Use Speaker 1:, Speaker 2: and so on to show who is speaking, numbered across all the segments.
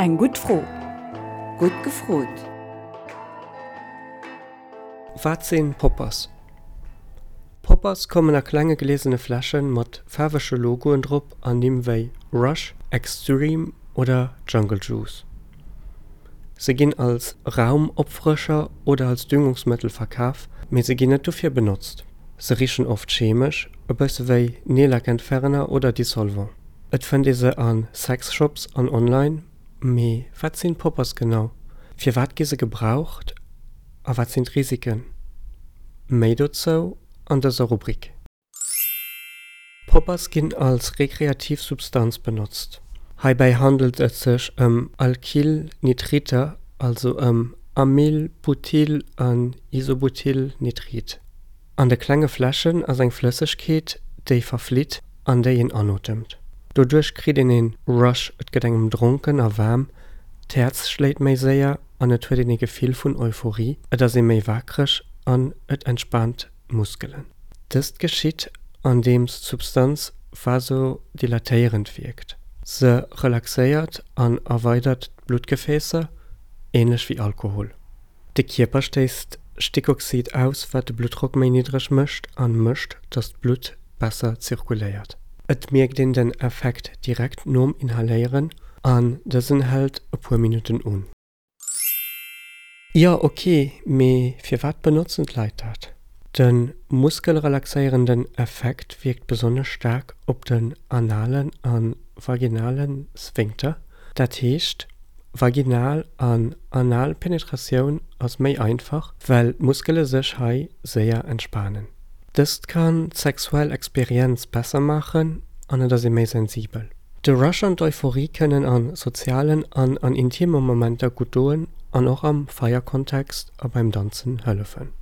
Speaker 1: Eng gutt Fro.
Speaker 2: Gutt gefrot!
Speaker 3: Wat sinn Poppers? Poppers kommen a klenge gliesene Fläschen mat faarwege Logoen drop an Nimm wéi Rush, Extreme oder Jungle Juice. Se ginn als Raumopfrëscher oder als Düngungsmëttel verkaf, mee se ginn net dofir benotzt. Se richen oft chemesch, e bësse wéi Neellackentferner oder Dissolvant. Et fënnt ee se a Sexshops an online, mee wat sinn Poppers genau? Firwat gi se gebraucht a wat sinn d'Risiken? Méi dozou an dëser Rubrik. Poppers ginn als rekreativ Substanz benotzt. Heibäi handelt et sech ëm Alkylnitriter, also ëm Amyl-, Butyl an Isobutylnitrit. An de klenge Fläschen ass eng Flëssegkeet, déi verflitt an déi een anotemt. Doduerch kritt een een Rush, et gëtt engem dronken a waarm, d'Häerz schléit méi séier an et huet een ee Gefill vun Euphorie, et ass ee méi waakreg an et entspaant d'Muskelen. Dëst geschitt, andeems d'Substanz vasodilatéierend wierkt. Se relaxéiert an erweidert d'Bluttgefäässer, änlech wéi Alkohol. De Kierper stéisst Stickoxid aus, wat de Bluttdrock méi niddreg mécht an mécht, datt d'Blutt besser zirkuléiert. Et mierkt een den Effekt direkt nom Inhaléieren an dësen hält e puer Minutten un. Jo ok, mee firwat benotzen d'Leit dat? De muskelrelaxéierenden Effekt wierkt besonnesch staark op den analen a vaginale Sphinkter. Dat heescht, vaginal an anal Penetratioun ass méi einfach, well d'Muskele sech hei séier entspanen. Dëst kann d'sexuell Experienz besser maachen an et ass ee méi sensibel. De Rush an d'Euphorie kënnen a sozialen an an intime Momenter gutt doen an och am Feierkontext a beim Danzen hëllefen.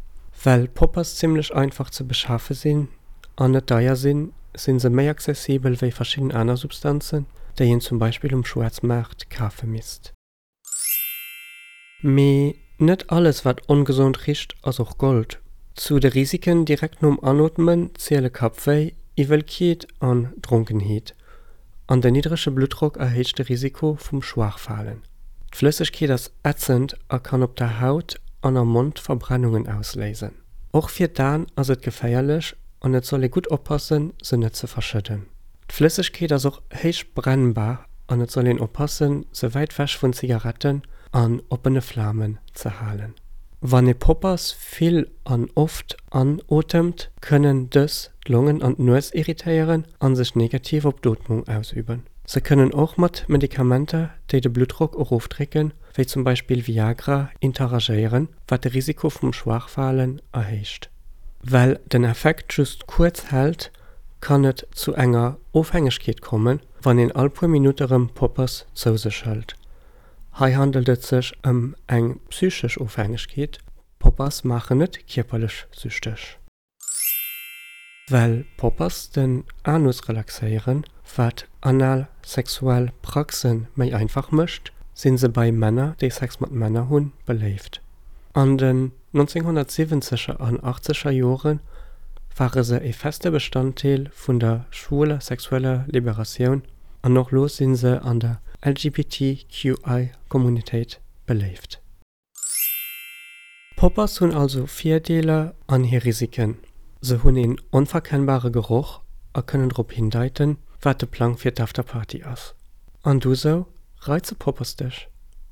Speaker 3: Well Poppers zimmlech einfach ze beschafe sinn an net deier sinn, sinn se méi accessibel wéi verschidden aner Substanzen, déi een zum Beispill um Schwaarzmaart kafe misst. Mee net alles wat ongesond richt ass och Gold. Zu de Risiken direkt nom Anootmen ziele Kappwéi, Iwwelkeet an Dronkenheet. An den niddrege Bluttdrock erhéicht de Risiko vum Schwaachfalen. D'Flëssegkeet ass ätzend a kann op der Haut an am Mond Verbrennungen ausléisen. Och fir d'Aen ass et geféierlech an et soll ee gutt oppassen se net ze verschëdden. D'Flëssegkeet ass och héich brennbar an et soll een oppassen, se wäit wech vun Zigaretten an oppene Flamen ze halen. Wann ee Poppers vill an oft anotemt, kënnen dës d'Longen an d'Nues irritéieren a sech negativ op d'Ootmung ausüben. Se kënnen och mat Medikamenter, déi de Bluttdrock erofdrécken, wéi zum Beispill Viagra, interagéieren, wat de Risiko vum Schwaachfalen erhéicht. Well den Effekt just kuerz hält, kann et zu enger Ofhängegkeet kommen, wann een all puer Minutte rëm Poppers zou sech hëlt. Hei handelt et sech ëm eng psychesch Ofhängegkeet, Poppers maachen net kierperlech süchteg. Well Poppers den Anus relaxéieren, wat anal sexuell Praxe méi einfach mécht, sinn se bei Männer, déi Sex mat Männer hunn, beléift. An den 1970er an achtzeger Jore ware se e feste Bestanddeel vun der schwuler sexueller Liberatioun an och lo si se an der LGBTQI-Communitéit beléift. Poppers hunn also Virdeeler an hir Risiken, Se hunn een onverkennbare Geroch a kënnen drop hindeiten, wat de Plang fir d'Afterparty ass. An du sou, reize Poppers dech?